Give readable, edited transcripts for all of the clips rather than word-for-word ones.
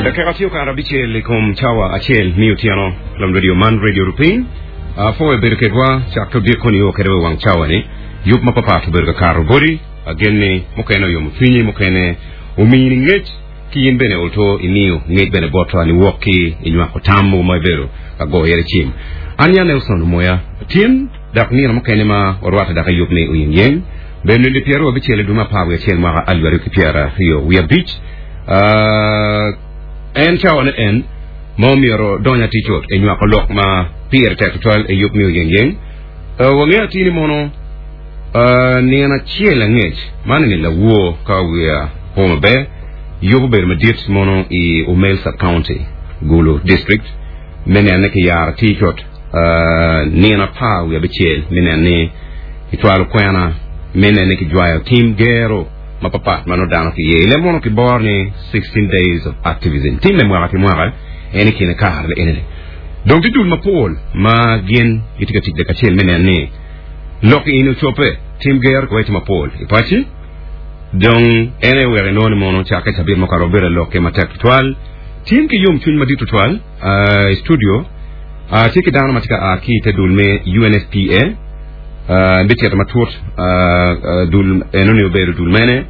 Dakika tye okato abicel i kom cawa acel me otyeno. Lam radio man Radio Rupiny. Apwoyo bedo kedwa cakke odiko nio kede wa i wang cawa-ni. Yub mapapat obedo ka kato boti. Agen ni mukene oyomo cwinyi, mukene omini ngec, ki in bene olto imiyo ngec bene botwa niwok ki i nywako tam mogo ma ibedo ka goyo iye cim. An ya Nelson Omoya tin dok nino mukene ma warwatte dok i yub me Oyengyeng bedo nino pyeraryo abicel i dwe me apar wiye acel mwaka alip aryo ki 25. En cawane en ma omyero dony atir cut i nywako lok ma pire tek tutwal i yub me Oyengyeng. Wangeyo atir ni mono Nino acel angec, man eni lawor ka wiya po maber, yub obedo madit mono i Omel Sub-County, Gulu District, me neno ni kiyaro atir cut nino 17 me neno ni kicwalo kwena me neno ni kijwayo tim gero mapapat ma nongo dano kiye i leb mono kiboro ni 16 days of activism. Timme mwaka ki mwaka en i kine kare eni-ni. Dong tye dul mapol ma gin gitye ka tic lakacel me neno ni Lok eni ocobbe, tim gero ki wece mapol i paci. Dong en aye oweko inongo ni mono cakke cabit mukato wabedo alokke matek tutwal. Tim ki yomcwiny madit tutwal i studio tye ki dano ma tye ka a ki i te dul me UNFPA. Bicito matut dul enoni obedo dul mene.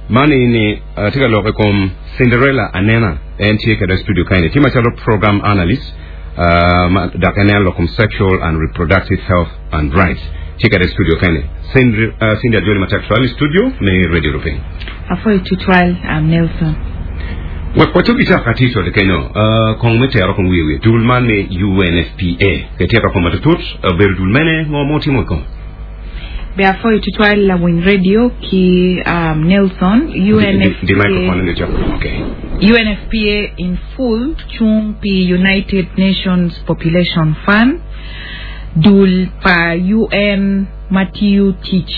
Man eni tye ka lok i kom Cinderella Anena. En tye kwede i studio kaeni tye macalo program analyst. Dok en neno lok kom Sexual and Reproductive Health and Rights. Tye kede i studio kene. Cindy, Cindy Ajoli matek tutwal i studio me Radio Rupiny. Apwoyo tutwal, um, Nelson. Wek wacob i cak atir cwale kenyo, uh, kong me tero kong wiye wiye. Dul man me UNFPA. Ke tito kong matutut, obedo dul mene, ngo ma otimo i kome? Be apwoyo tutwal lawiny radio ki um, Nelson. Di, di, di microphone UNFPA, ni cok. Okay. UNFPA in full cung pi United Nations Population Fund, dul pa UN ma tiyo tic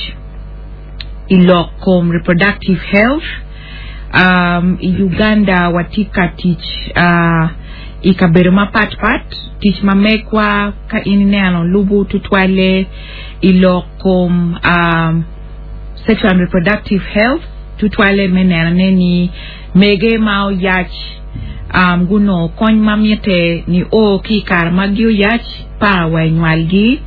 i lok kom reproductive health. Um, i Uganda watye ka tic uh, i kabedo mapat pat. Tic ma megwa ka in ineno lubo tutwalle i lok kom um, sexual and reproductive health, tutwalle me nenone ni mege ma oyac um, gunongo kony ma mitte nio ki i kare ma gioyac pa wa i nywalgi.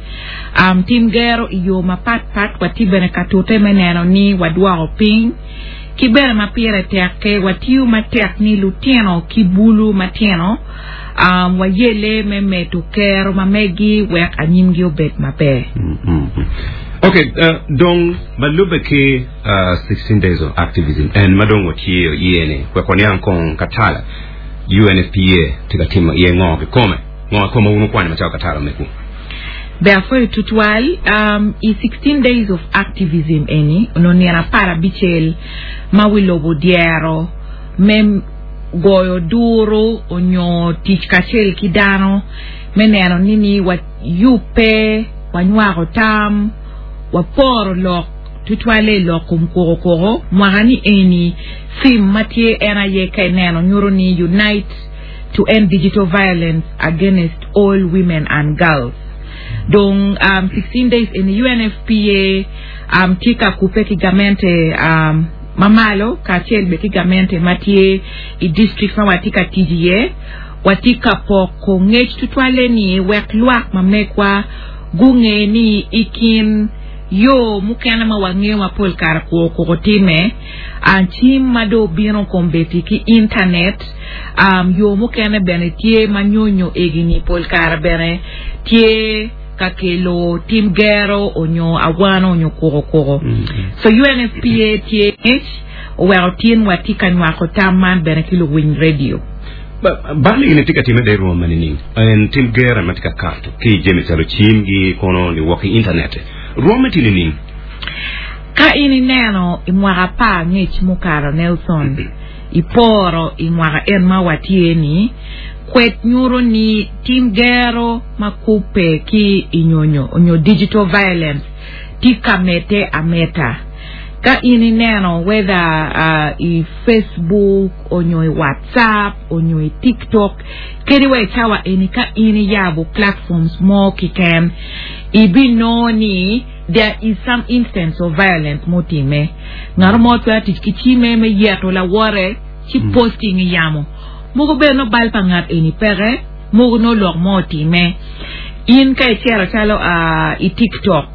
Um, tim gero i yo mapat pat watye bene ka tute me neno ni wadwoko piny. Ki bene ma pire tek-ke, watiyo matek ni lutino ki bulu matino um, wayelle me medo kero ma megi wek anyimgi obed maber. Ok, uh, dong ma lubbe ki uh, 16 Days of Activism en ma dong watye iye ni, wek waniang kong katala UNFPA tye ka timo iye ngo kikome, ngo kikome ma wun wukwanyo macalo katala mekwu? Ber apwoyo tutwal. Um, i 16 Days of Activism eni, onongo nino 15 ma wi lobo dyero me goyo duru onyo tic kacel ki dano me neno ni ni wayubbe, wanywako tam, waporo lok tutwalle i lok kom koko koko. Mwaka ni eni theme ma tye en aye ka ineno nyuto ni Unite to End Digital Violence Against All Women and Girls. Dong um, 16 days eni UNFPA um, tye ka kubbe ki gamente um, ma malo kacel bene ki gamente ma tye i district ma watye ka tic iye. Watye ka poko ngec tutwalle ni wek lwak ma megwa gunge ni i kin yo mukene ma wangeyo ma pol kare kwo koko time, cim ma dong obino kombeddi ki intanet, yo mukene bene tye ma nyonyo egi-ni pol kare bene tye ka kelo tim gero onyo awano onyo koko koko. So UNFPA tye ngec oweko tin watye ka nywako tam man bene ki luwiny radio. Bal eni tye ka timme de rwom ma nining? En tim gero ma tye ka kato ki i jami calo cimgi kono niwok ki intanet. Rwomme tye nining? Ka in ineno i mwaka apar ngec mukato Nelson iporo i mwaka en ma watye ni, kwed nyuto ni tim gero ma kubbe ki i nyonyo onyo digital violence tye ka medde ameda. Ka in ineno whether i Facebook onyo i WhatsApp onyo i TikTok kadi wa i cawa eni ka in iyabo platforms mo kiken ibinongo ni there is some instance of violence mutime. Ngat mo twero tic ki cime me yeto lawote ci posting i yamo. Mogo bene nongo bal pa ngat eni peke, mogo nongo lok mo otime. In ka icito calo i tiktok,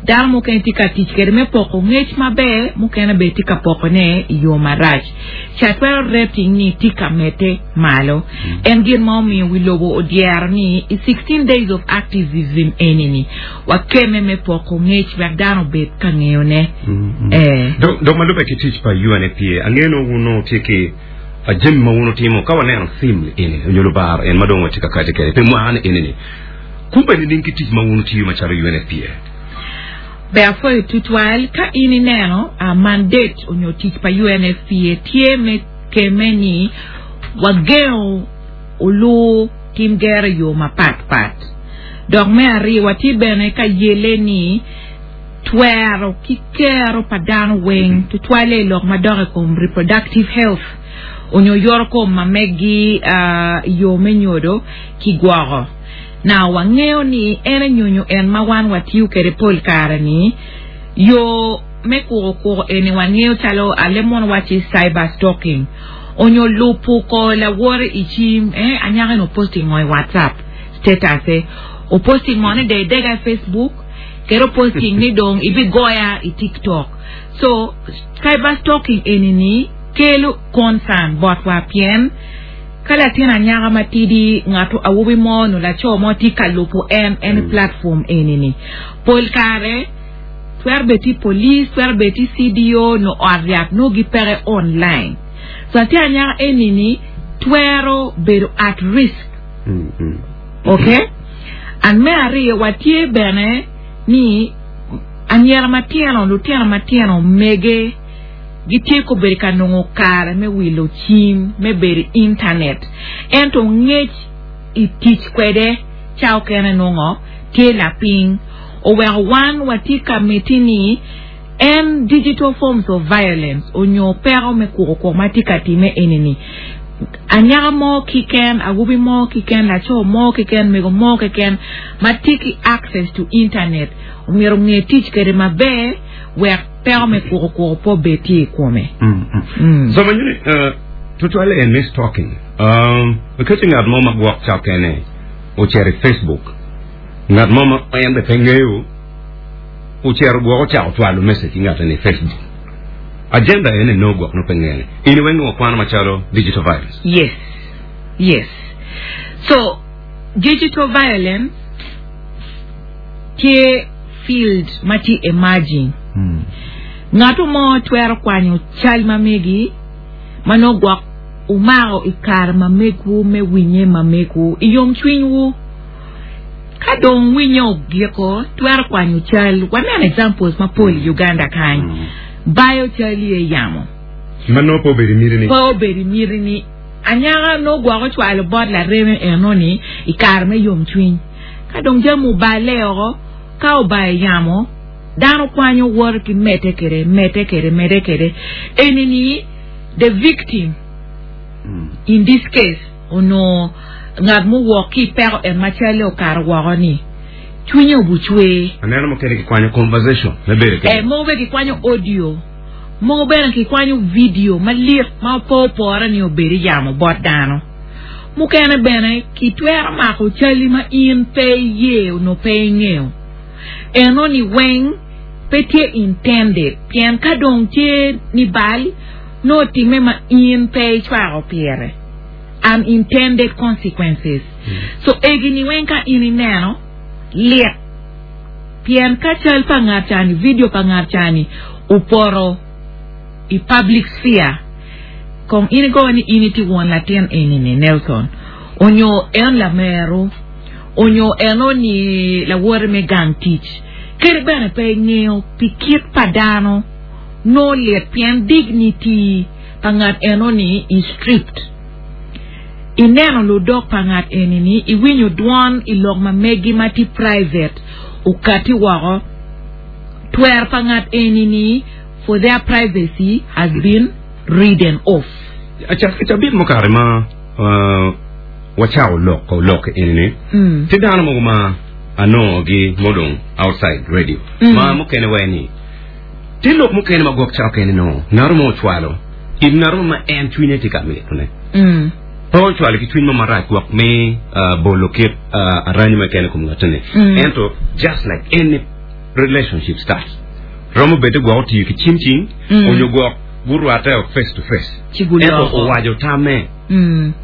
dano mukene tye ka tic kwede me poko ngec maber, mukene bene tye ka pokone i yo marac. Ca twero rating ni tye ka medde malo. En gin ma omiyo wi lobo odyero ni i 16 days of activism eni-ni, wakemme me poko ngec wek dano obed ka ngeyone. Ee. Dok ma lubbe ki tic pa UNFPA, angeyo ni wun onongo wutye ki jami ma wun wutimo ka waneno theme eni nyo lubaro en ma dong watye ka kati kwede pi mwaka ni eni ni. Kubbe nining ki tic ma wun wutiyo macalo UNFPA? Ber apwoyo tutwal ka in ineno mandate onyo tic pa UNFPA tye me kemme ni wagengo olur tim gero i yo mapat pat. Dok me aryo watye bene ka yelle ni twero ki kero pa dano weng tutwalle i lok madok i kom reproductive health onyo yoto kom ma megi i yo me nyodo ki gwoko. Now wangeyo ni en enyonyo en ma wan watiyo kwede pol kare ni yo me kuko kuko eni wangeyo calo ale mono waci cyber stalking onyo lupu ko lawote i cim eh anyaka eni oposti ngo i whatsapp status e oposti ngo ni dong idega i facebook kede oposting ni dong ibigoya i tiktok so cyber stalking eni ni kelo concern botwa pien Ka latin anyaka matidi, ngato awobi mo nyo laco mo tye ka lubo en, en i platform eni-ni, pol kare twero bedo tye police, twero bedo tye CDO nyo ot yat nongo gipeke online. So latin anyaka eni-ni twero bedo at risk. Okay? And me aryo watye bene ni anyira matino, lutino matino mege Gitye kobedo ka nongo kare me wilo cim me bedo i intanet, ento ngec i tic kwede ca okene nongo tye lapiny. Oweko wan watye ka miti ni en digital forms of violence onyo peko me kuko kwo ma tye ka time eni ni anyaka mo kiken, awobi mo kiken, laco mo kiken, mego mo kiken ma tye ki access to internet omyero onge tic kwede maber wek Peko me kuko kuko pe obed tye i kome. So ma nyuni tutwalle en me stalking. Nikech ngat mo ma gwok ca okene ocito i Facebook, ngat mo ma en bene pe ngeyo ocito gwok ocako cwalo message ki ngat eni i Facebook. Agenda ene nongo gwok nongo pe ngene. In iweng nongo wakwano macalo digital violence. Yes. Yes. So, digital violence tye field ma tye emerging. Ngato mo twero kwanyo cal ma megi ma nongo gwok wumako i kare ma megwu me winye ma megwu i yomcwinywu. Ka dong winye ogiko, twero kwanyo cal. Waneno examples mapol i Uganda kany. Bayo cal i yamo. Ma nongo pe obedo i miti ni. Pe obedo i miti ni. Anyaka nongo gwok ocwalo bot lareme eno-ni i kare me yomcwiny. Ka dong jami oballe oko, ka obayo yamo, dano kwanyo woto ki medde kwede, medde kwede, medde kwede. Eni ni the victim in this case onongo ngat muwok ki i peko en ma calle okato woko ni cwinye obucwer. Aneno mukene kikwanyo conversation me bedo kwede. Eh, mogo bene kikwanyo audio, mogo bene kikwanyo video malit ma pe opore ni obed i yamo bot dano. Mukene bene kitwero mako cali ma in pe iye onyo pe ingeyo. Eno ni weng pe tye intended pien ka dong tye ni bal nongo otime ma in pe icwako pire, unintended consequences. So egi ni weng ka in ineno lit pien ka cal pa ngat cani, video pa ngat cani opoto i public sphere, Kong in igo ni in itye won latin eni-ni, Nelson, onyo en lameru, onyo eno-ni lawote me gang tic. Kadi bene pe ingeyo pi kit pa dano, nongo lit pien dignity pa ngat eno-ni is stripped. Ineno ludok pa ngat eni-ni, iwinyo dwon i lok ma megi ma tye private okati woko. Twero pa ngat eni-ni for their privacy has been ridden off. Cabit mukato ma wacako loko lok eni-ni, tye dano mogo ma anongogi mudong outside radio ma mukene waci ni tye lok mukene ma gwok ca okene nongo ngat mo ocwalo it ngat mo ma en cwinye tye ka mitone. ocwalo ki cwiny mo marac gwok me bolo kit aranyi mo keken i kom ngat-ni. Ento just like any relationship starts, romo bed ni gwok otiyo ki cim cing onyo gwok gurwatte face to face, Ci ento guloko. owaco tamme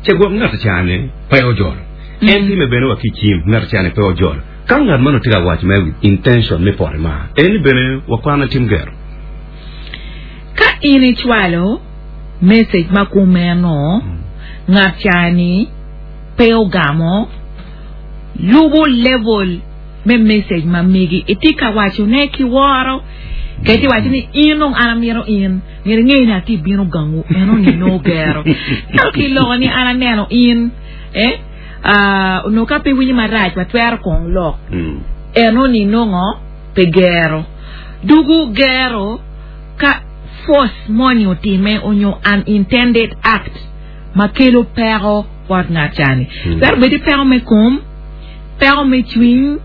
ce gwok ngat ca-ni pe ojolo. En timme bene wa ki cim, ngat ca-ni pe ojolo. Ka ngat meno tye ka waco mere with intention me poto i mar, eni bene wakwane tim gero. Ka in icwalo message ma kumeno, ngat ca-ni pe ogamo, lubo level me message ma megi. Itye ka wacone ki woro, ka itye waco ni in dong an amito in, myero inge ni atye bino gangu, eno-ni nongo gero. Ento ki loko ni an aneno in, eh, ah, onongo ka pe iwinyo marac watwero kong lok. Eno-ni nongo pe gero. Dugu gero ka force moni otime onyo unintended act ma kelo peko bot ngat cani. Twero bedi peko me kom, peko me cwiny,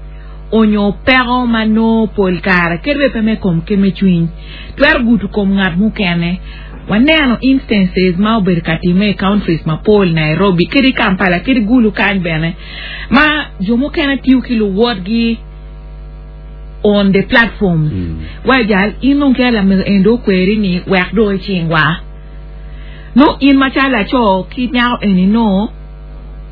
onyo peko ma nongo pol kare kadi bed pe me kom ki me cwiny twero gudo kom ngat mukene. Waneno instances ma obedo ka timme i countries mapol, Nairobi kadi Kampala kadi Gulu kany bene ma jo mukene tiyo ki luwotgi on the platforms wa jal in dong kela lamego eni dong okweri ni wek dong icingwa nongo in macalo laco ki nyako eni nongo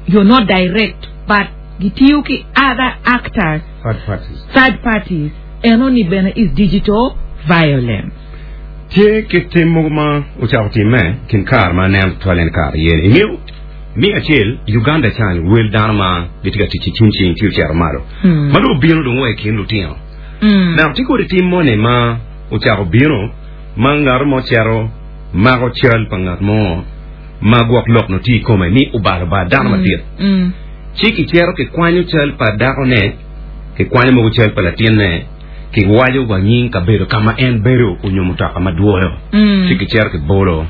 you're not direct but gitiyo ki other actors Third parties. third parties eno ni bene is digital violence. Tye kit tim mogo ma ocako timme kin kare ma aneno tutwal en kare aye-ni. Ingeyo, me acel, Uganda can wel dano ma gitye ka tic ki cim cing tye ocito malo, ma dong obino dong wa i kin lutino. Dok tye kodi tim moni ma ocako bino ma ngat mo cito mako cal pa ngat mo ma gwok lok nongo tye i kome ni obalo bar dano madit. Ci kicito kikwanyo cal pa dakone, kikwanyo mogo cal pa latinne, kiwaco wa nying kabedo ka ma en bedo onyo mutoka ma dwoyo, ci kicito kibolo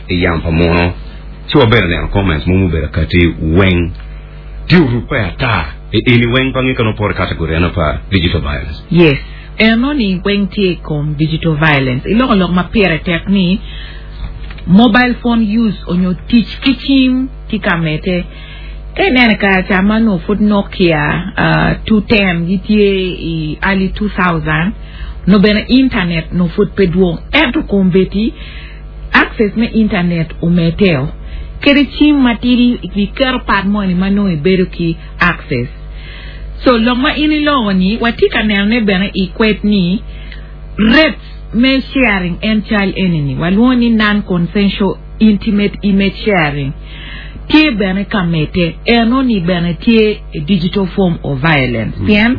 i yamo pa muno. Ci wabedo neno comments mogo mubedo akati weng tye orubbe ata i eni weng pa nge ka nongo poto i category eno pa digital violence. Yes, eno ni weng tye i kom digital violence. Iloko lok ma pire tek ni mobile phone use onyo tic ki cim tye ka medde. Ka ineno i kare ca ma onongo pud Nokia 210 gitye i early 2000, onongo bene internet onongo pud pe dwong. Ento kombeddi access me internet omedeo. Kadi cim matidi iketo part moni ma nongo ibedo ki access. So lok ma in iloko-ni watye ka nenone bene i kwed ni rates me sharing en cal eni-ni walwongo ni non-consensual intimate image sharing tye bene ka medde. Eno-ni bene tye a digital form of violence pien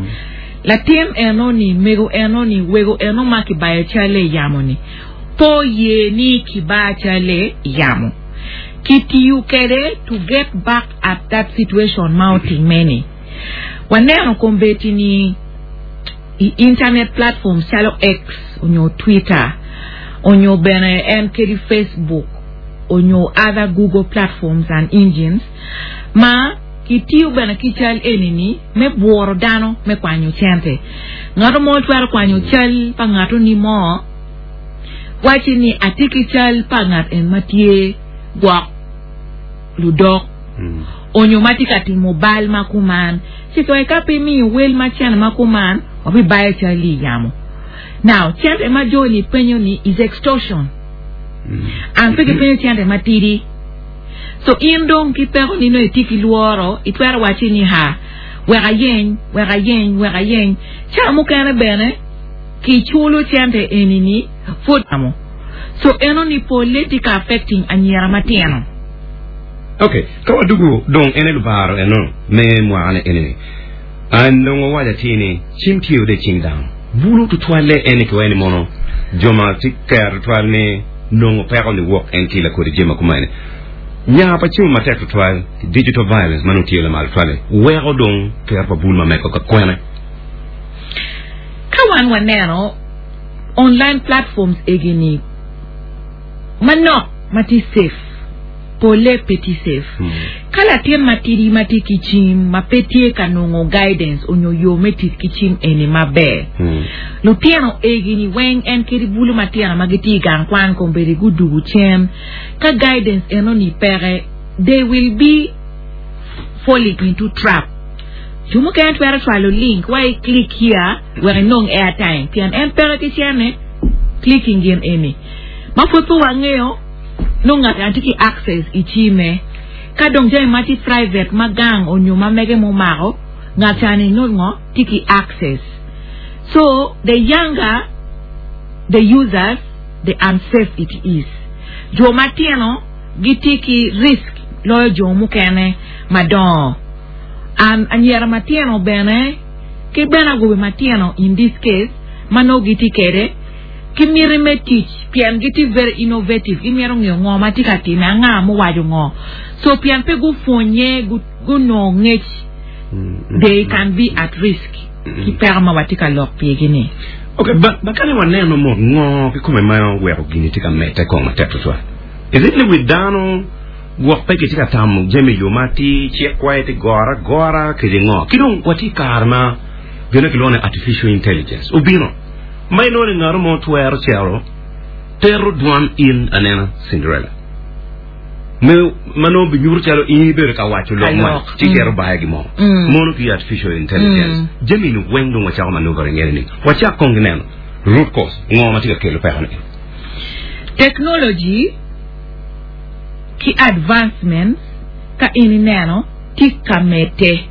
latin eno-ni, mego eno-ni, wego eno ma kibayo calle i yamo-ni pe oye ni kiba calle i yamo. Kitiyo kwede to get back at that situation ma otimme-ni. Waneno kombeddi-ni i internet platforms calo X onyo Twitter onyo bene en kadi Facebook onyo other Google platforms and engines ma kitiyo bene ki cal eni-ni me bwuro dano me kwanyo cente. Ngato mo twero kwanyo cal pa ngato-ni mo waci ni atye ki cal pa ngat en ma tye gwok ludok onyo ma tye ka timo bal ma kuman ci koy ka pe imiyo wel ma cene ma kuman wabibayo cal-li i yamo. Now cente ma jo-ni penyo ni is extortion and pe gipenyo cente matidi so in dong ki peko ni nongo itye ki lworo itwero waci ni ha wek ayeny wek ayeny wek ayeny ca mukene bene kiculo cente eni ni pud yamo so eno ni pole tye ka affecting anyira matino. Ok, ka wadugu dong en aye lubaro eno me mwaka ni eni ni. An dong wawaco atir ni cim tye ode cing dano. Bulu tutwalle en ni kiwaco ni mono jo ma tye kero tutwal ni nongo peko ni wok en ki lakodi jami ma kumene. Nya pa cimo matek tutwal digital violence ma nongo tye lamal tutwal-li weko dong kero pa bulu ma meko ka kwene. Ka wan waneno online platforms egi ni manok ma tye safe, polle pe tye safe. Ka latin matidi ma tye ki cim ma pe tye ka nongo guidance onyo yo me tic ki cim eni maber, lutino egi ni weng en kadi bulu matino ma gitye i gang kwan kombeddi gudugu cen, ka guidance eno ni peke. they will be falling into trap. Jo mukene twero cwalo link wa i click here wek inong airtime pien en peke ki cene clicking gin eni. Ma pud pe wangeyo nongo ngat eni tye ki access i cime. Ka dong jami ma tye private ma gang onyo ma mege mumako ngat cani nongo tye ki access. So the younger the users the unsafe it is. Jo matino gitye ki risk loyo jo mukene madongo. And anyira matino bene ki bene awobe matino in this case ma nongo gitye kwede ki miti me tic pien gitye very innovative gimito ngeyo ngo ma tye ka time anga muwaco ngo so pien pe gupwonye gunongo ngec they can be at risk ki peko ma watye ka lok pigi ni. Ok, ba, ba kane waneno mot ngo kikome ma oweko gini tye ka medde kong matek tutwal. Is it ni wi dano gwok pe kitye ka tamo jami i yo ma atir, cik kwaye tye goro agora kede ngo? Ki dong watye i kare ma gin kilwongo ni artificial intelligence obino ma inongo ni ngat mo twero cito tero dwan in anena Cinderella me ma nongo binyuto calo in ibedo ka waco lok man ci cito bayo gin mo mono ki artificial intelligence jami ni weng dong wacako maneuvering ngene ni wacak kong ki neno root cause ngo ma tye ka kelo peko ni. Technology ki advancements ka in ineno tye ka medde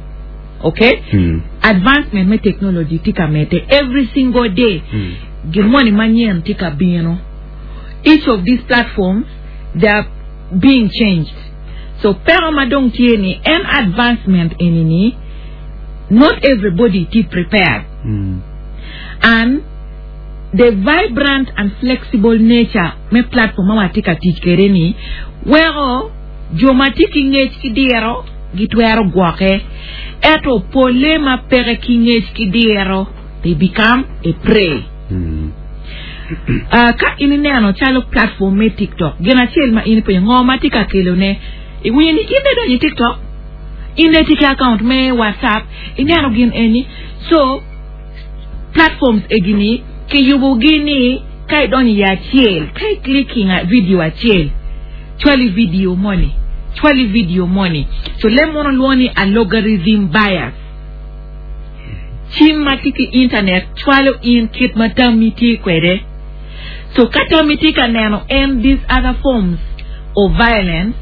ok advancement me technology tye ka medde every single day gin moni manyen tye ka bino each of these platforms they are being changed so peko ma dong tye ni en advancement eni ni not everybody tye prepared and The vibrant and flexible nature me platform ma watye ka tic kwede ni weko jo ma tye ki ngec ki diro gitwero gwoke ento pole ma peke ki ngec ki diro they become a prey. Uh, ka in ineno calo platform me TikTok, gin acel ma in ipenyo ngo ma tye ka kelone, iwinyo ni in idonyo i TikTok, in itye ki account me WhatsApp, ineno gin eni. So, Platforms egi ni kiyubo gi ni ka idonyo i acel, ka i clicking video acel, cwali video moni, cwali video moni. So leb mono lwongo ni algorithm bias. Cim ma tye ki internet cwalo in kit ma tammi tye kwede. So ka tammi tye ka neno en these other forms of violence,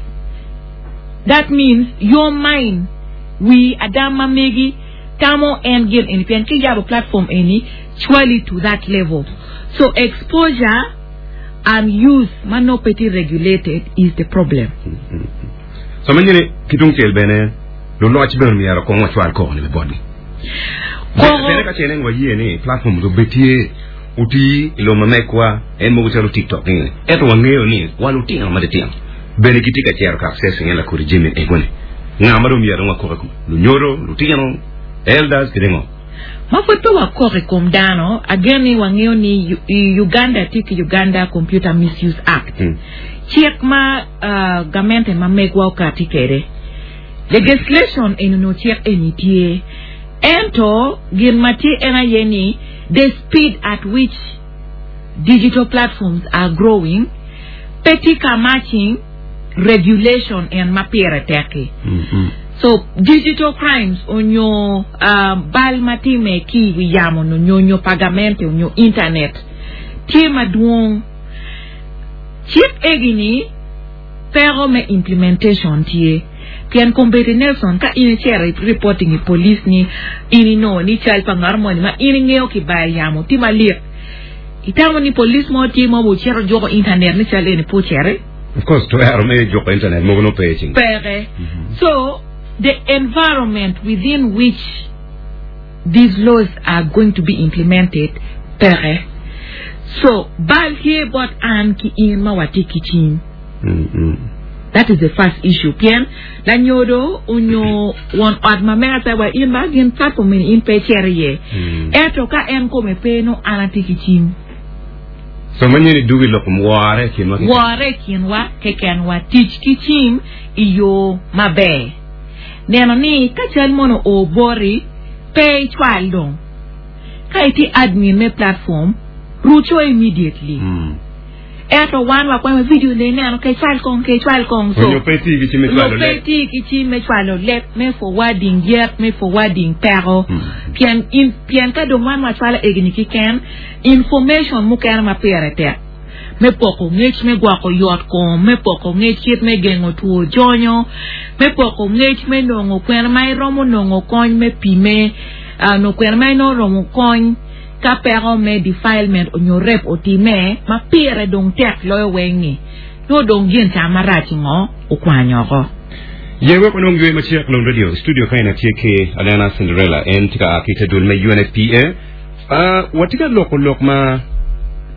that means your mind, wii adam ma megi, Tamo en gin eni pien ki yabo platform eni cwali to that level so exposure and use ma nongo pe tye regulated is the problem. So ma nyini ki tung cel bene luloc bene myero kong wacwal koko ni botgi. Koko Bene ka ce nen wayie ni platform do be tye otii i lobo ma megwa en mogo calo TikTok ni ento wangeyo ni wa lutino matitino bene gitye ka cito ka accessing en lakodi jami ego ni nga ma dong myero dong wakok i kome lunyodo lutino elders kede ngo. Ma pud pe wakok i kom dano, agen ni wangeyo ni i Uganda tye ki Uganda Computer Misuse Act, cik ma gamente ma megwa okati kwede. Legislation eni onongo cik eni tye, ento gin ma tye en aye ni the speed at which digital platforms are growing pe tye ka matching regulation en ma pire tek-ki. So digital crimes onyo bal ma time ki i wi yamo nyo nyonyo pa gamente onyo internet tye madwong. Cik egi-ni peko me implementation tye pien kombeddi Nelson ka in icito i reporting i police ni in inongo ni cal pa ngat moni ma in ingeyo kibayo yamo tye malik Itamo ni police mo tye ma ocito juko internet ni cal eni pe ociti? Of course, twero me juko internet mogo nongo pe i cing. Peke. So, the environment within which these laws are going to be implemented peke. So, bal tye bot an ki in ma watye ki cim. That is the first issue. Pien lanyodo onyo won ot ma mega pe wa in ba gin platform eni in pe icito iye. Ento ka en kome pe nongo an atye ki cim. So ma nyeni dugi lok kom wore i kinwa keken. Wore i kinwa kekenwa. Tic ki cim i yo maber. Neno ni ka cal mono oo boti pe icwal dong. Ka itye admin me platform ruco immediately. Ento wan wakwemo video ni ineno ke cwal kong ke cwal kong so. Onyo pe tye ki cim me cwalo leb. Pe tye ki cim me cwalo leb me forwarding yet me forwarding peko. Pien in pien ka dong wan wacwalo egini kiken information mukene ma pire tek me poko ngec me gwoko yot kom, me poko ngec kit me gengo two jonyo, me poko ngec me nongo kwena ma iromo nongo kony me pime, nongo kwena ma inongo romo kony Ka peko me defilement onyo rape otime ma pire dong tek loyo weng ni, nongo dong gin ca marac ngo okwanyo oko. Ye wek wanong ywe macek Lon Radio i studio ka en atye ki Alena Cinderella en tye ka a ki te dul me UNFPA. Watye ka loko lok ma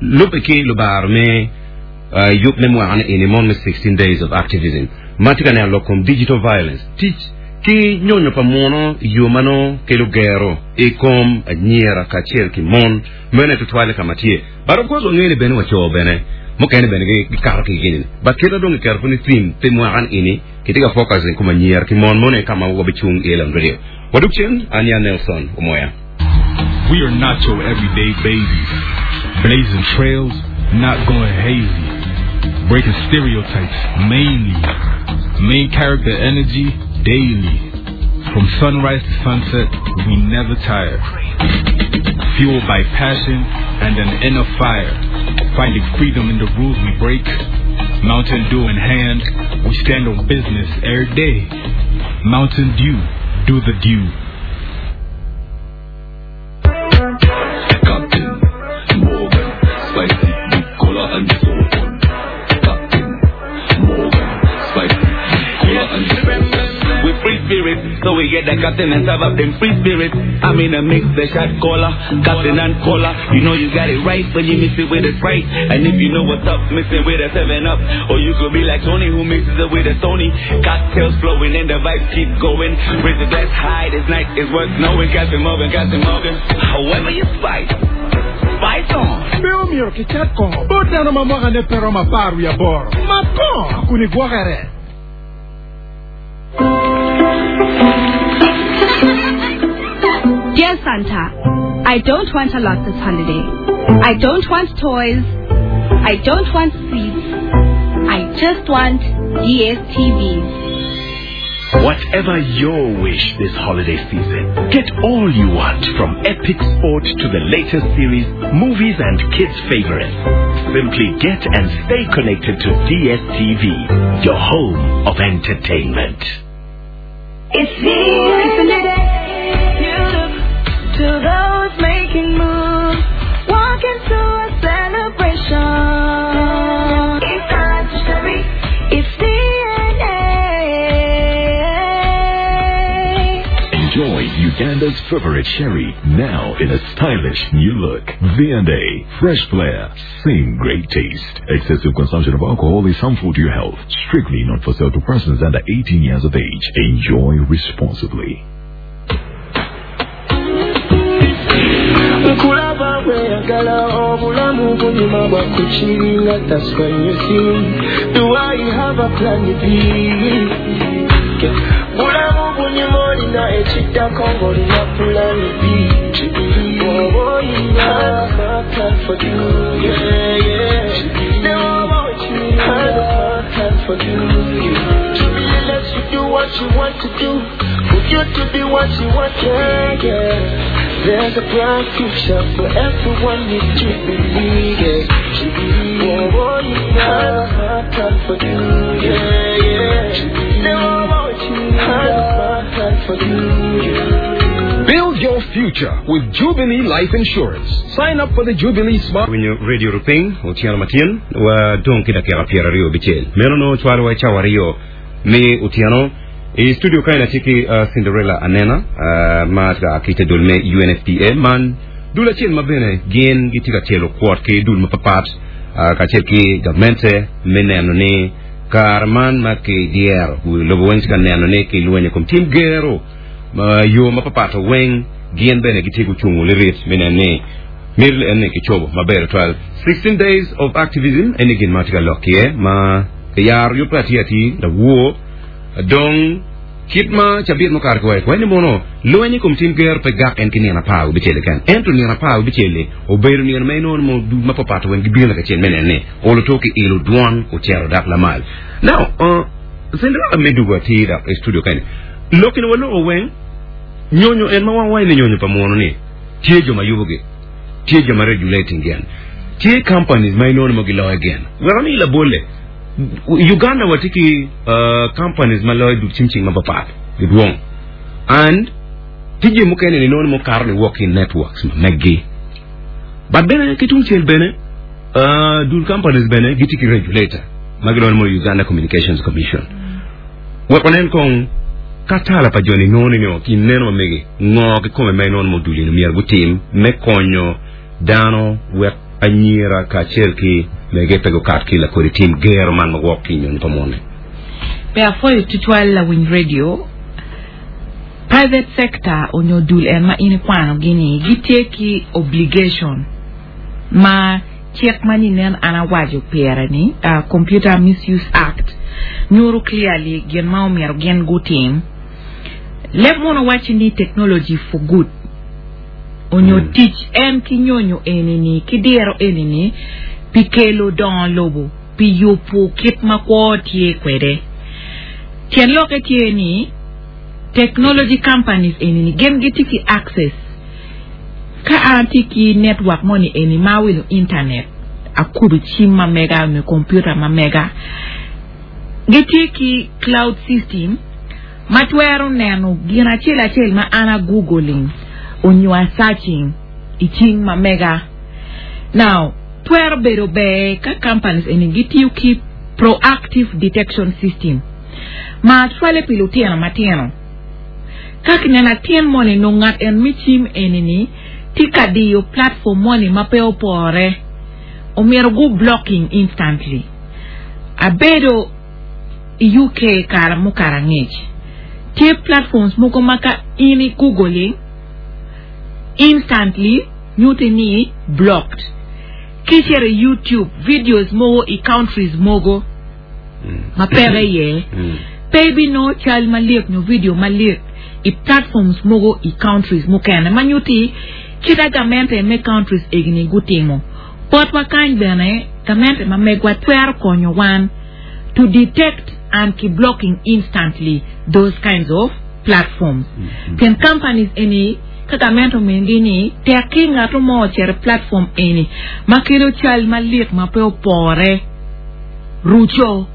lubbe ki lubaro me yub me mwaka ni eni mon me 16 days of activism ma tye ka neno lok kom digital violence tic ki nyonyo pa muno i yo ma nongo kelo gero i kom anyira kacel ki mon mene tutwalle ka ma tye. But of course wangeyo ni bene wa co bene mukene bene gikato ki i gini. But kit ma dong kiketo pud ni theme pi mwaka ni eni kitye ka focus i kom anyira ki mon mono aye ka ma wabicung iye Lon Radio. Wadug cen, an ya Nelson Omoya. We are not your everyday babies. Blazing trails, not going hazy. Breaking stereotypes, mainly. Main character energy, daily. From sunrise to sunset, we never tire. Fueled by passion and an inner fire. Finding freedom in the rules we break. Mountain Dew in hand, we stand on business every day. Mountain Dew, do the dew. Captain Morgan, spicy, cola and so on. Captain Morgan, spicy, cola and so on. We free spirit, so we get the captain and serve up them free spirit. I'm in a mix, the shot caller, captain and cola. You know you got it right when you mix it with a Sprite. And if you know what's up, mix it with a 7 Up. Or you could be like Tony who mixes it with a Sony. Cocktails flowing and the vibes keep going. Raise the glass high, this night is worth knowing. Captain Morgan, Captain Morgan. However you spice, spice on. Pe omyero kicat kongo bot dano ma mwakane pe romo apar wiye aboro. Mat kongo kun igwokere. Dear Santa, I don't want a lot this holiday. I don't want toys. I don't want sweets. I just want DSTVs. Whatever your wish this holiday season, get all you want from epic sport to the latest series, movies and kids' favorites. Simply get and stay connected to DSTV, your home of entertainment. It's the it's a new day. You look to those making moves. Walk into a celebration. It's time to celebrate. It's DNA. Enjoy Uganda's favorite sherry now in a stylish new look. V&A, fresh flair, same great taste. Excessive consumption of alcohol is harmful to your health. Strictly not for sale to persons under 18 years of age. Enjoy responsibly. Nkulaba weyagala obulamu bunyuma bwakukiringa that's when you see do I have a plan B bulamu bunyuma olina ekiddako ng'olina plan B bw'oba olina my plan for you yeah yeah ne bw'oba okirina my plan for you Jubilee lets you do what you want to do for you to be what you want to be yeah There's a bright future for everyone with Jubilee yeah Bw'oba olina my plan for you yeah yeah ne bw'oba okirina my plan for you yeah Build your future with Jubilee Life Insurance. Sign up for the Jubilee Smart. Winyo Radio Rupiny otyeno matin wa dong ki dakika 25. Meno nongo cwalowa i cawa aryo me otyeno. I studio kany atye ki Cinderella Anena ma tye ka a ki i te dul me UNFPA man dul acel ma bene gin gitye ka tyelo kwot ki dul mapapat kacel ki gamente me neno ni kare man ma kidyero wi lobo weng tye ka neno ni kilwenyo i kom tim gero ma yo mapapat weng gin bene gitye gucungo lirit me neno ni miti eni kicobo maber tutwal. 16 days of activism eni gin ma tye ka lok iye ma kiyaro yubbe atir atir lawor dong. Kit ma cabit mukato ki waco kwede ni mono lweny i kom tim gero pe gak en ki nino apar wibicel keken, ento nino apar wibicel-li obedo nino ma inongo ni dul mapapat weng gibino lakacel me neno ni olo to ki ilo dwon ocito dok lamal. Now, Cinderella me dugo atir dok i studio kany. Lok ni waloko weng nyonyo en ma wan waco ni nyonyo pa muno ni tye jo ma yubogi, tye jo ma regulating gin, tye companies ma inongo ni mo giloyo gin. Wek ami labolle. Uganda watye ki companies ma loyo dul cim cing mapapat gidwong and tye jami mukene ni nongo mukato ni wok ki networks ma meggi but bene ki tung cel bene dul companies bene gitye ki regulator ma gilwongo ni Uganda Communications Commission wek wanen kong ka tala pa joni nongo ni ki neno ma megi ngo kikome ma inongo mo dul-ni myero gutim me konyo dano wek anyira kacel ki mege pe gukat ki lakodi tim gero man ma wok ki i nyonyo pa mone. Pe apwoyo tutwal lawiny radio. Private sector onyo dul en ma in ikwano gi ni gitye ki obligation ma cik ma ni nen an awaco pire ni Computer Misuse Act nyuto clearly gin ma omyero gin gutim. Leb munu waci ni technology for good. Onyo tic en ki nyonyo eni-ni ki diro eni-ni pi kelo dongo lobo, pi yubo kit ma kwo tye kwede. Tyen lokke tye ni technology companies eni-ni gin gitye ki access. Ka an atye ki network moni eni ma awilo internet, akubo cim ma mega nyo computer ma mega, gitye ki cloud system ma twero neno gin acel acel ma an a googling onyo a searching i cing ma mega. Now, twero bedo ber ka companies eni gitiyo ki proactive detection system ma cwale pi lutino matino. Ka kineno atin moni nongo ngat en me cim eni ni tye ka diyo platform moni ma pe opore, omyero gu blocking instantly. Abedo i UK kare mukato angec, tye platforms mogo ma ka in i googling, instantly nyutti ni blocked. Ki icito i YouTube, videos mogo i countries mogo ma peke iye, pe ibinongo cal malik nyo video malik i platforms mogo i countries mukene ma nyutti kit a gamente me countries egini gutimo. Botwa kany bene, gamente ma megwa twero konyo wan to detect and ki blocking instantly those kinds of platforms. Pien companies eni ka gamente omingi ni tek ki ngato mo ocito i platform eni ma kelo cal malik ma pe opore ruco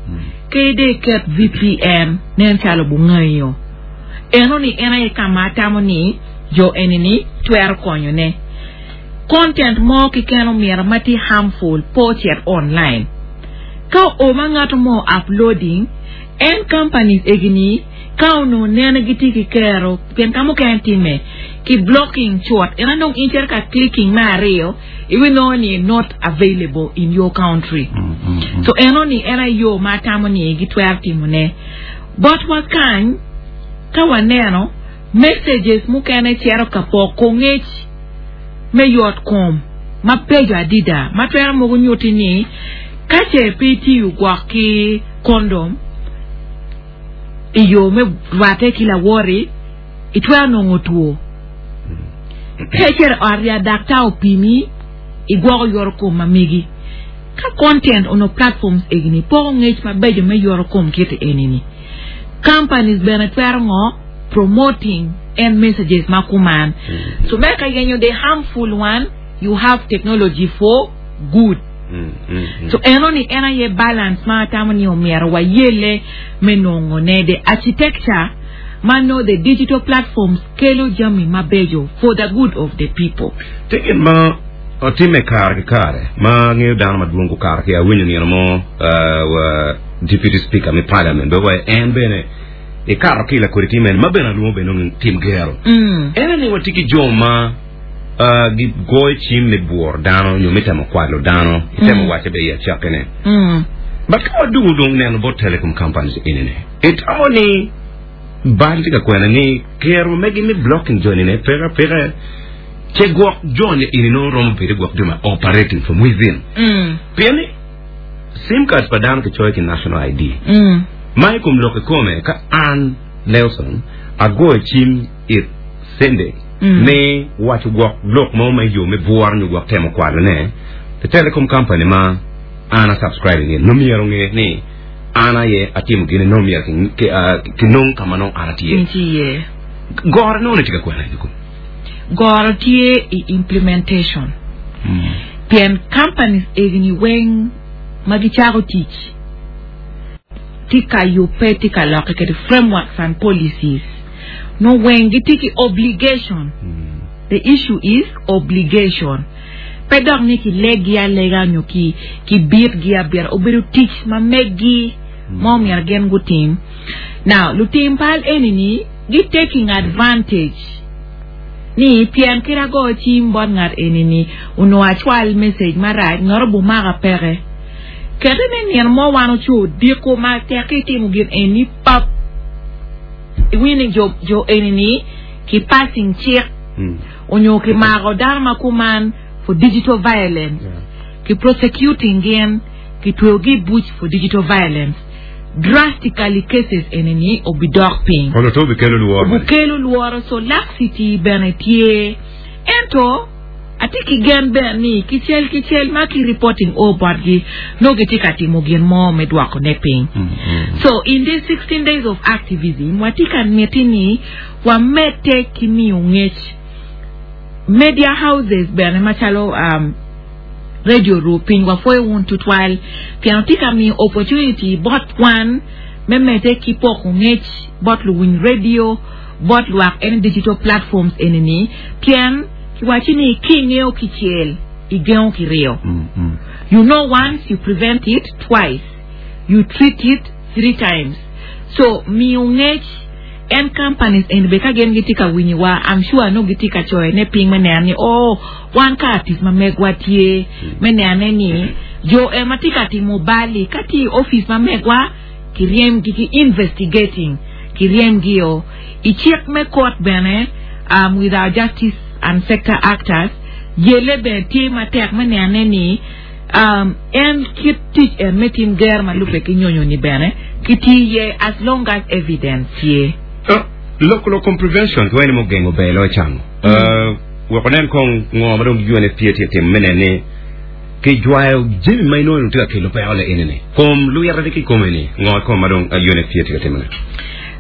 ke de iket VPN nen calo bungayo. Eno ni en aye ka ma atamo ni jo eni ni twero konyo ne. Content mo keken omyero ma tye harmful pe ocit online. Ka oo ma ngato mo uploading, en companies egi ni ka onongo nene gitye ki kero pien ka mukene time ki blocking cut ento dong in cito ka clicking me aryo ibinongo ni not available in your country. So eno ni en aye yo ma atamo ni gitwero timo ne. Botwa kany ka waneno messages mukene cito ka poko ngec me yot kom ma peco adida ma twero mogo nyutti ni ka ce pe itiyo gwok ki kondom i yo me rwatte ki lawoti, itwero nongo two. Ka icito i ot ya daktar opimi, igwoko yoto kom ma megi. Ka content onongo platforms egini poko ngec mabeco me yoto kom kiti enini. Companies bene twero ngo? Promoting en messages ma kuman. So me ka yenyo the harmful one, you have technology for good. So eno ni en aye balance ma atamo ni omyero wayelle me nongo ne the architecture ma no the digital platforms kelo jami mabeco for the good of the people. Tye gin ma otimme kare ki kare ma angeyo dano madwong gukato ki awinyo nino mo wa Deputy Speaker me Parliament bene wa en bene ikato ki lakodi tim eni ma bene alwongo bene ni tim gero. En aye ni watye ki jo ma gigoyo cim me bworo dano nyo me temo kwalo dano itemo wace bene i acakkine. But ka wadwogo dong neno bot telecom companies eni ni itamo ni bal tye ka kwena ni kero megi me blocking joni ne peke apeka ce gwok joni eni nongo romo bedo gwok jo ma operating from within. Pien ni sim cards pa dano kicoyo ki national ID. Ma i kom lok kikome ka an. Nelson agoyo cim it Cindy me waco gwok lok mo ma iyo me bworo nyo gwok temo kwalo ne, the telecom company ma an a subscribing in nongo myero onge ni an aye atimo gini nongo myero ki nong ka ma nongo an atye. Nitye iye. Goro nongo ni tye ka kwena i kom. Goro tye i implementation. Pien companies egini weng ma gicako tic tye ka yubbe tye ka lokke kede frameworks and policies nongo weng gitye ki obligation. The issue is obligation. Pe dok ni kileggi alega nyo kibitgi abita, obedo tic ma meggi ma omyero gin gutim. Now, lutim pal eni-ni gi taking advantage ni pien kit ago cim bot ngat eni-ni onongo acwal message marac ngat obumaka peke. Kete ni nino mo wan oco odiko ma tek ki itimo gin eni pap iwinyo ni jo eni-ni ki passing cik onyo ki mako dano ma kuman for digital violence ki prosecuting gin ki tweyo gi i buc for digital violence drastically cases eni ni obi dok piny. Kono to obi kelo lworo. Obi kelo lworo so laxity bene tye ento atye ki gen bene ni kicel kicel ma ki reporting o botgi nongo gitye ka timo gin mo me dwoko ne piny. So in this 16 days of activism watye ka miti ni wamedde ki miyo ngec media houses bene macalo radio ru piny wapwoyo wun tutwal pien wutye ka miyo opportunity bot wan me medde ki poko ngec bot luwiny radio bot lwak any digital platforms eni ni pien kiwaci ni ki ingeyo kicel igengo kiryo you know once you prevent it twice you treat it 3 times so miyo ngec En companies eni bene ka gin gitye ka winyo wa I'm sure nongo gitye ka coyo ne piny me neno ni oh wan ka tic ma megwa tye me nene ni jo en ma tye ka timo bal-li ka tye i office ma megwa ki ryem gi ki investigating ki ryem gi o i cik me court bene um, with our justice and sector actors yele bene tye matek me nene ni Um, en kit tic en me tim ger ma lubbe ki nyonyo ni bene ki tiyo iye as long as evidence tye. Uh, lok lok kom prevention ki wene mo gengo ber loyo cango. Uh, wek onen kong ngo ma dong UNFPA tye timo me neno ni ki jwayo jami ma inongo tye ka kelo peko le eni ni kom lwite ki kome ni ngo kom ma dong UNFPA tye ka timo ne.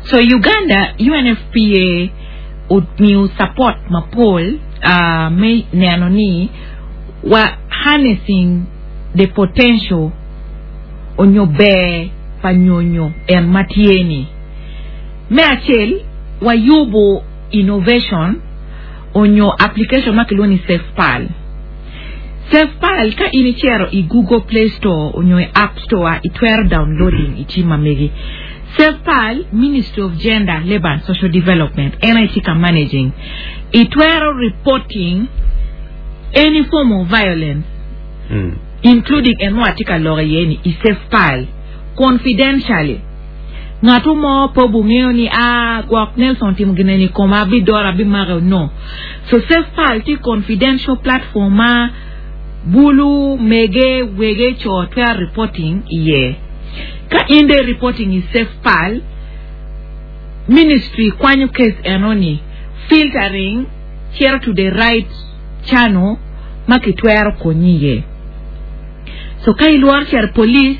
So Uganda UNFPA omiyo support mapol uh, me neno ni wa harnessing the potential onyo ber pa nyonyo en ma tye ni. Me acel, wa yubo innovation onyo application ma kilwongo ni SafePal. SafePal ka in icito i Google Play Store onyo i App Store itwero downloading i cim ma megi. SafePal, Ministry of Gender, Labour and Social Development en aye tye ka managing. Itwero reporting any form of violence including en ma watye ka lok iye ni i SafePal confidentially. Ngatu mo pe obungeyo ni aa gwok Nelson otimo gin eni i koma abidoro abimake no. So SafePal tye confidential platform ma bulu, mege, wege, co twero reporting iye. Ka in dong i reporting i SafePal, ministry kwanyo case eno ni filtering cito to the right channel ma kitwero konyi iye. So ka ilworo cito i police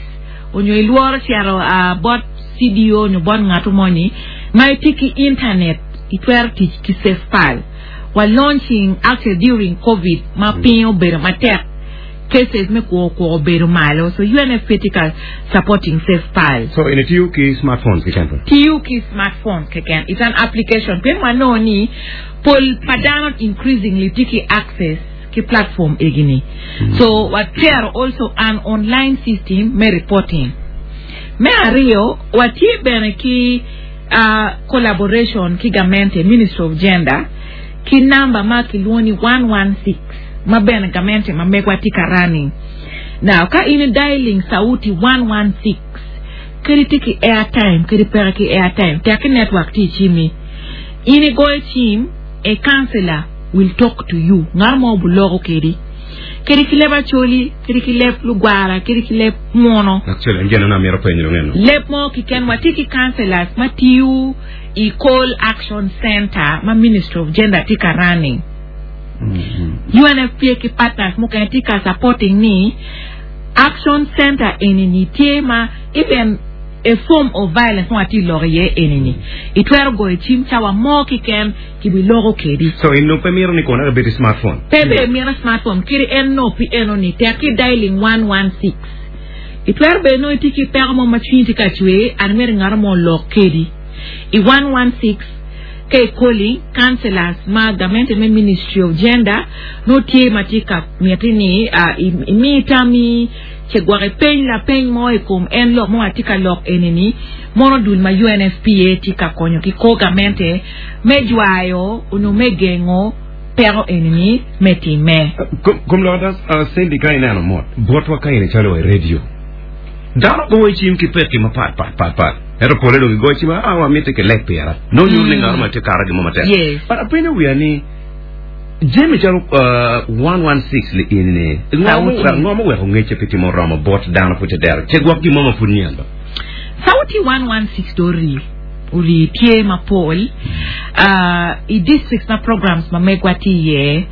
onyo ilworo cito bot CDO onyo bot ngatu moni ma itye ki internet itwero tic ki SafePal. Wa launching actually during covid ma piny obedo matek cases me kwo kwo obedo malo so UNFPA tye ka supporting SafePal. So in itiyo ki smartphones keken pud? Tiyo ki smartphones keken. It's an application pien wanongo ni pol pa dano increasingly tye ki access ki platform egi ni. So watero also an online system me reporting. Me aryo, watye bene ki collaboration ki gamente, Ministry of Gender, ki namba ma kilwongo ni 116 ma bene gamente ma megwa tye ka running. Now, ka in i dialing sauti 116, kadi tye ki airtime kadi peke ki airtime, tek ki network tye i cimmi, in igoyo cim, a counselor will talk to you, ngat mo obuloko kedi, kadi ki leb Acholi, kadi ki leb Lugwara, kadi ki leb Muno. Actually, en gin ma amito penyo dong eno. Leb mo kiken, watye ki counselors ma tiyo. i Call Action Center ma Ministry of Gender tye ka running. UNFPA ki partners mukene tye ka supporting ni Action Center eni ni tye ma even a form of violence ma watye lok iye eni ni itwero goyo cim cawa mo kiken kibiloko kedi. So in nongo pe mito ni kono ebed i smartphone? Pe be mito smartphone kadi en nongo pi eno ni tek ki dialing 116. Itwero bene nongo itye ki peko mo ma cwinyi tye ka cwer and imito ngat mo olok kedi i 116 ka i calling councillors ma gamente me ministry of gender nongo tye ma tye ka miti ni imi tammi ce gwok ipeny lapeny mo i kom en lok ma watye ka lok eni ni mono dul ma UNFPA tye ka konyo ki kor gamente me jwayo onyo me gengo peko eni ni me timme. Kom lok ada, Cindy, ka ineno mot botwa ka in icalo wa i radio, dano goyo cim ki pekki mapat pat pat pat. Ento pole dong gigoyo cim, ah, wamiti ki leb pira. Nongo nyuto ni ngat mo tye kato gin mo matek. Yes. But apenyo wiya ni, jami calo 116 li eni ni, Sauti. ngo muweko ngecce pe tye muromo bot dano pud te dero? Ce gwok gin mo ma pud nyen ba? Sauti 116 do rii. Ori tye mapol i districts ma programs ma megwa tye iye.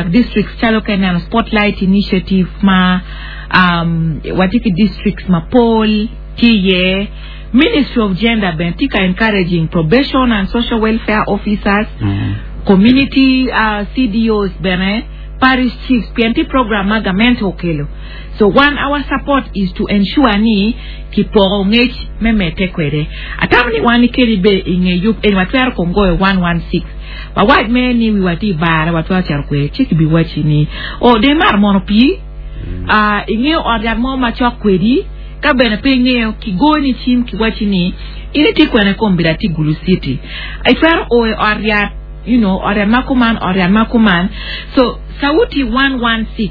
Districts calo ka ineno Spotlight Initiative ma watye ki districts mapol tye iye. Ministry of Gender bene tye ka encouraging probation and social welfare officers, community CDOs bene, parish chiefs pien tye program ma gamente okelo. So wan our support is to ensure ni kipoko ngec me medde kwede. Atamo ni wan kadi be i nge yub eni watwero kong goyo 116 wawac mere ni wiwa tye i bare watwero cito kwede ci kibiwacci ni oh dong imato mono pii ah ingeyo ot yat mo macok kwedi ka bene pe ingeyo kigoyoni cim kiwacci ni in itye kwene kombeddi atye Gulu city itwero o i ot yat you know ot yat ma kuman ot yat ma kuman so sauti 116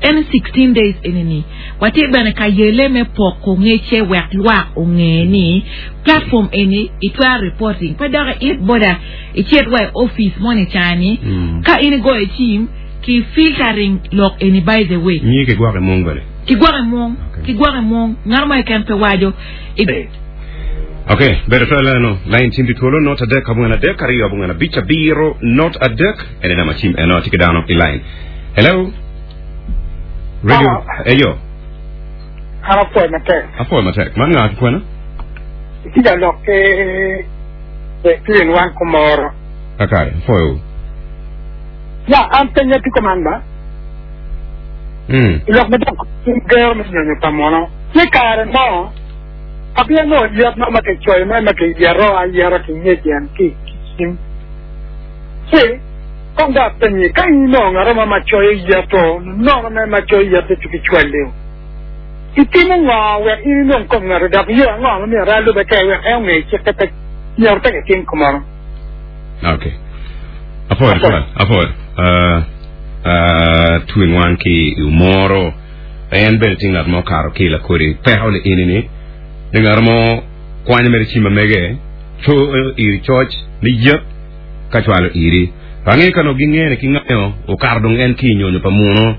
En 16 days eni ni watye bene ka yele me poko ngecce wek lwak onge ni platform eni itwero reporting pe dok iit boda icit wa i office moni ca ni ka in igoyo cim ki filtering lok eni by the way. Nyi ki gwoko i mung bene. Ki gwoko i mung, ki gwoko i mung, ngat mo keken pe waco. I. Ok, bedo twero leno lain cim pi twolo not adek abongwen adek aryo abongwen abic abiro not adek ene namba cim eno atye ki dano i lain. Hello. Radio. Hello. Eyo. An apwoyo matek. Apwoyo matek. Man nga ki kwena? Itye ka lok ki Between wan kumoro. Kakare, apwoyo. Ya, an penya tye kuman ba. Mm. I lok ma dok gero me nyonyo pa muno. Tye kare mo, abia nongo yet mo ma kicoyo mo ma kiyeto ayeta ki ngec en ki cim. Ci, kong dong apenyi, ka in inongo ngat mo ma coyo yeto, nono mere ma coyo yeto ci kicwali-u, itimo ngo wek in inong kom ngati, dok yo ango ma myero alube kwede wek en onge cikke pe myero pe kitim kumeno? Ok. Apwoyo tutwal. Apwoyo. Uh, uh, twin wan ki i Omoro. En bene tye ngat ma okato ki i lakodi peko ni ini ni, ni ngat mo kwanyo mere cim ma mege, coyo iri coc ni yep, ka cwalo iri. Ange ka nongo gingene ki ngayo okato dong en ki i nyonyo pa muno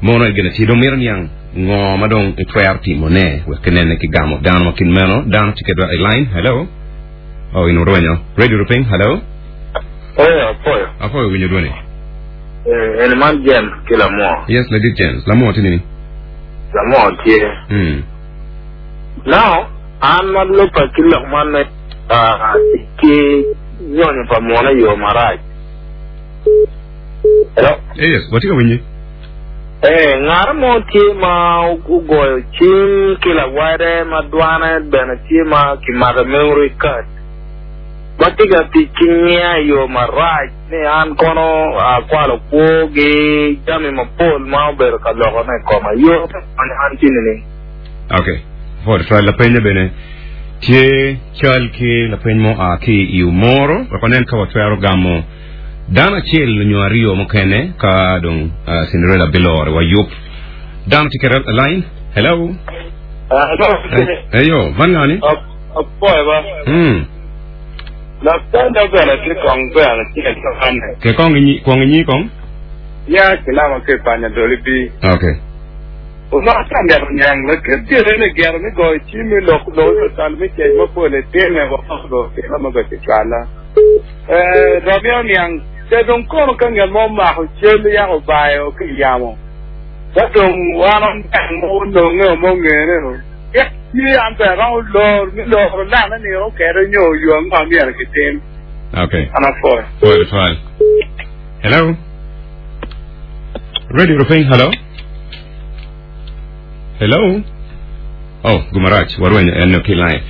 mono en gin atir dong mito niang ngo ma dong itwero timo ne wek kinene ki gamo dano ma kit meno dano tye kedwa i line hello oh in orwenyo radio rupiny hello Oyo, apoyo. Apoyo winyo dwoni. Eh, en man James ki Lamwo. Yes, ladit James. Lamwo tye nini? Lamwo tye. Now, an ma lubbe ki lok man me tic ki nyonyo pa munu i yo marac. Hello? Yes, watye ka winyi. Eh, ngat mo tye ma ogoyo cim ki lawade ma dwane bene tye ma kimako i memory card ma tye ka tic ki nyinga i yo marac ni an kono akwalo kwogi jami mapol ma obedo ka lokone i koma. Yo me konyo an tye nining? Ok. Pwod twal lapenye bene tye cal ki lapeny mo a ki i Omoro wek wanen ka watwero gamo dano acel nyo aryo mukene ka dong uh, Cinderella bilore wa yub. Dano tye kede line. Hello. Eyo, man ngani? Apoyo ba. Lapenya bene tye kong bene tye kane. Ke kong inyi, kong inyi kong. Ya kilama ke panya doli bi. Okay. Onongo atye ka mito niang lakit gire ni gire me goyo cim me lok lok nyo tal me cec mapol etime woko go tira ma bene kicwala. Eh, dong amito niang ce dong kono ka ngat mo omako cal yako obayo ki i yamo ka dong wan oniang mo ononge o mo ongene o cik tye an bene aromo lor me loro lane ni okete nyo yo ango ma myero kitim. Okay. An apwoyo. Pwoyo tutwal. Hello. Radio Rupiny, hello. Hello. Oh, gumarac, warwenyo en ki line.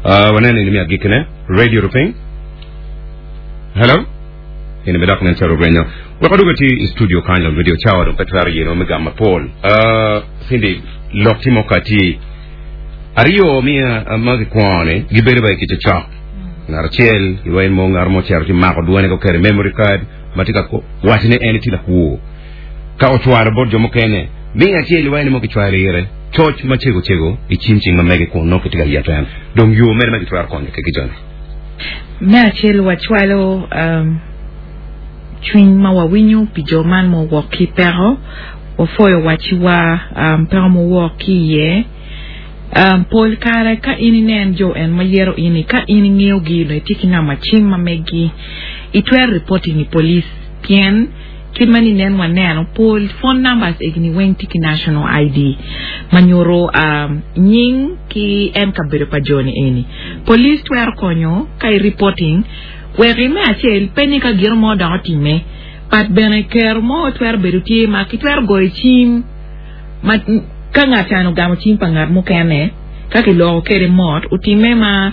Waneno ini me agikkine. Radio Rupiny. Hello. Ini me dok nen calo orwenyo. Wek wadwogo ti i studio kany lon radio cawa dong pe twero yeno me gamo mapol. Cindy, lok tye mo kati. Aryo mi ma gikwongo ni gibedo ba i kica cok. Ngat acel iwaci mo ngat mo ocito ci mako dwone ko keto i memory card ma tye ka waco ni en etye lakwo. Ka ocwalo bot jo mukene, miyo acel iwaci ni mo kicwalo ire coc ma cego cego i cim cing ma mege kun nongo kitye ka yeto en. Dong yo mene ma gitwero konyo ki joni? Me acel wacwalo um, cwiny ma wawinyo pi jo man ma owok ki i peko, wapwoyo wacciwa um, peko ma owok ki iye. Um, pol kare ka in inen jo en ma yero in-ni, ka in ingeyogi nyo itye ki namba cim ma meggi, itwero reporting i police pien kit ma ninen waneno pol phone numbers egini weng tye ki national ID ma nyuto um, nying ki en kabedo pa jo-ni eni. Police twero konyo ka i reporting wek i me acel pe ni ka gino mo dok otimme but bene kero mo twero bedo tye ma kitwero goyo cim ma ka ngat can ogamo cim pa ngat mukene ka kiloko kede mot otimme ma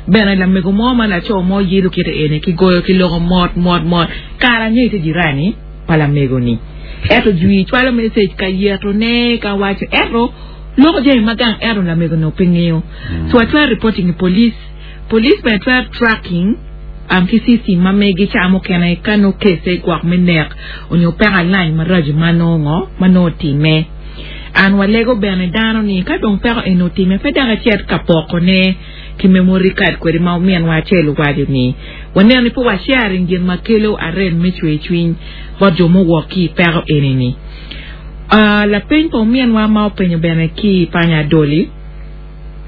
bene lamego mo ma laco mo yelo kite eni kigoyo kiloko mot mot mot kara nyo ite jirani pa lamego ni ento jwi cwalo message ka yeto ne ka waco ento loko jami ma gang ento lamego ni pe ngeyo so atwero reporting i police police bene twero tracking um, ki system ma megi ca mukene ka nongo kese gwok me nek onyo peko alany maraco ma nongo ma nongo otime. An walego bene dano ni ka dong peko eni otime pe dok ecit ka poko ne ki memory card kwede ma ominwa acel owaco ni waneno ni pe wa sharing gin ma kelo arem me cwer cwiny bot jo muwok ki i peko eni ni. Uh, lapeny pa ominwa ma openyo bene ki i panya Adoli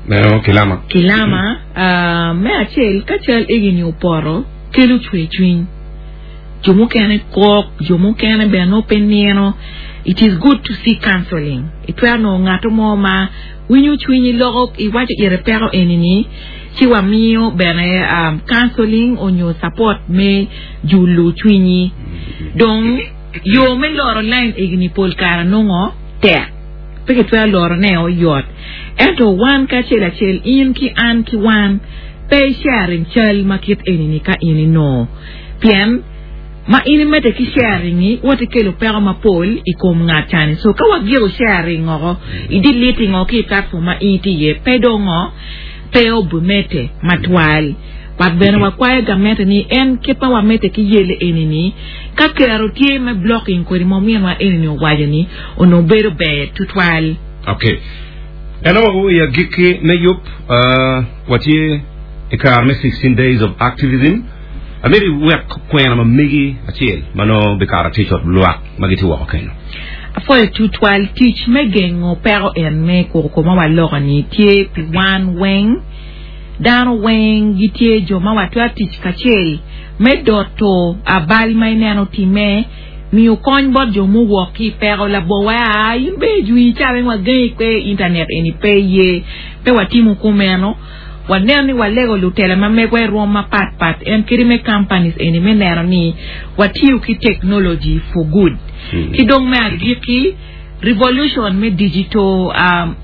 Meno Kilama. Kilama, uh, me acel ka cal egini opoto kelo cwer cwiny. Jo mukene kok, jo mukene bene nongo pe nino. It is good to seek counseling. Itwero nongo ngato mo ma winyo cwinyi loko iwaco ire peko eni ni ci wamiyo bene um, counseling onyo support me julu cwinyi. Dong yo me loro line egini pol kare nongo tek. Pe kitwero loro ne oyot. Ento wan kacel acel in ki an ki wan pe i sharing cal ma kit eni ni ka in inongo. Pien ma in imedde ki sharing-ngi, woti kelo peko mapol i kom ngat cani. So ka wagiko sharing oko, i deleting oko ki i platform ma in itye iye, pe dong ngo, pe obimedde matwal. But bene wakwayo gamente ni en kit ma wamedde ki yelle eni-ni, ka kero tye me blocking kodi ma ominwa eni-ni owaco ni onongo bedo ber tutwal. Okay. Ento wa i agikki me yub, uh, watye i kare me 16 days of activism. Amito iwek kwena ma megi acel ma nongo bikato atir cot lwak ma gitye woko kenyo. Apwoyo tutwal tic me gengo peko en me koko ma waloko ni tye pi wan weng. Dano weng gitye jo ma watwero tic kacel me doto abal ma ineno time, miyo kony bot jo muwok ki i peko labongo wa aa in be ijwi ca weng wagengi kwe i internet eni pe iye pe watimo kumeno. Waneno ni walego lutela ma megwa i rwom mapat pat en kadi me companies eni me neno ni watiyo ki technology for good. Ki dong me agikki, revolution me digital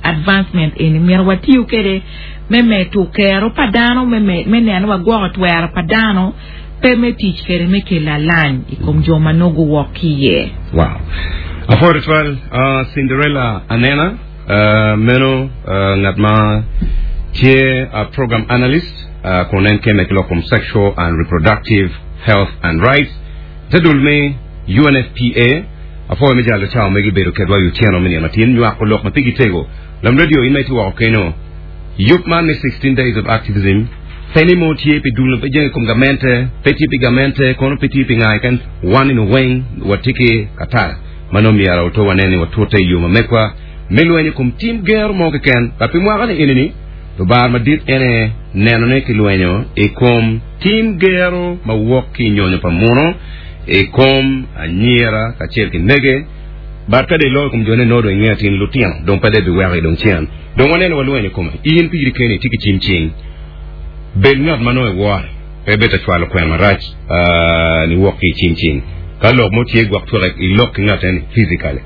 advancement eni myero watiyo kede me medo kero pa dano me me neno ni wagwoko twero pa dano pe me tic kede me kelo alany i kom jo ma nongo guwok ki iye. Wow. Apwoyo tutwal Cinderella Anena. Meno ngat ma tye program analyst kun en kemme ki lok kom sexual and reproductive health and rights te dul me UNFPA. Apwoyo me jalo cawa megi bedo kedwa i otyeno me nino matin nywako lok ma pigi tego. Lam radio in ma itye woko keno. Yub man me 16 days of activism pe ni mo tye pi dul ma pe jenge i kom gamente, pe tye pi gamente, kono pe tye pi nga keken, wan nino weng watye ki katara. Ma nongo myero oto wanen ni watute i yo ma megwa. me lweny i kom tim gero mo keken. Ba pi mwaka-ni eni-ni, Lubanga madit en aye neno ni kilwenyo i kom tim gero ma wok ki i nyonyo pa muno i kom anyira kacel ki mege. But ka dong iloyo i kom jone nongo dong ingeyo atir ni lutino dong pe dong ibiweko i dong cen. Dong waneno walwenyo i kome. In piri keni itye ki cim cing. Bed ngat ma nongo iwore. Pe ibed ta cwalo kwena marac niwok ki i cim cing. Ka lok mo tye gwok tweke ilok ki ngat eni physically.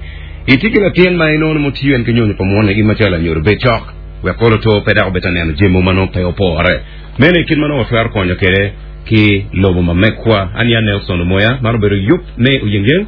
Itye ki latin ma inongo ni mutiyo en ki nyonyo pa munu in macalo lanyodo bed cok. Wek kolo to pe dok obed ka neno jami mogo ma nongo pe opore. Meno aye kit ma nongo watwero konyo kwede ki lobo ma megwa. An ya Nelson Omoya, man obedo yub me Oyengyeng.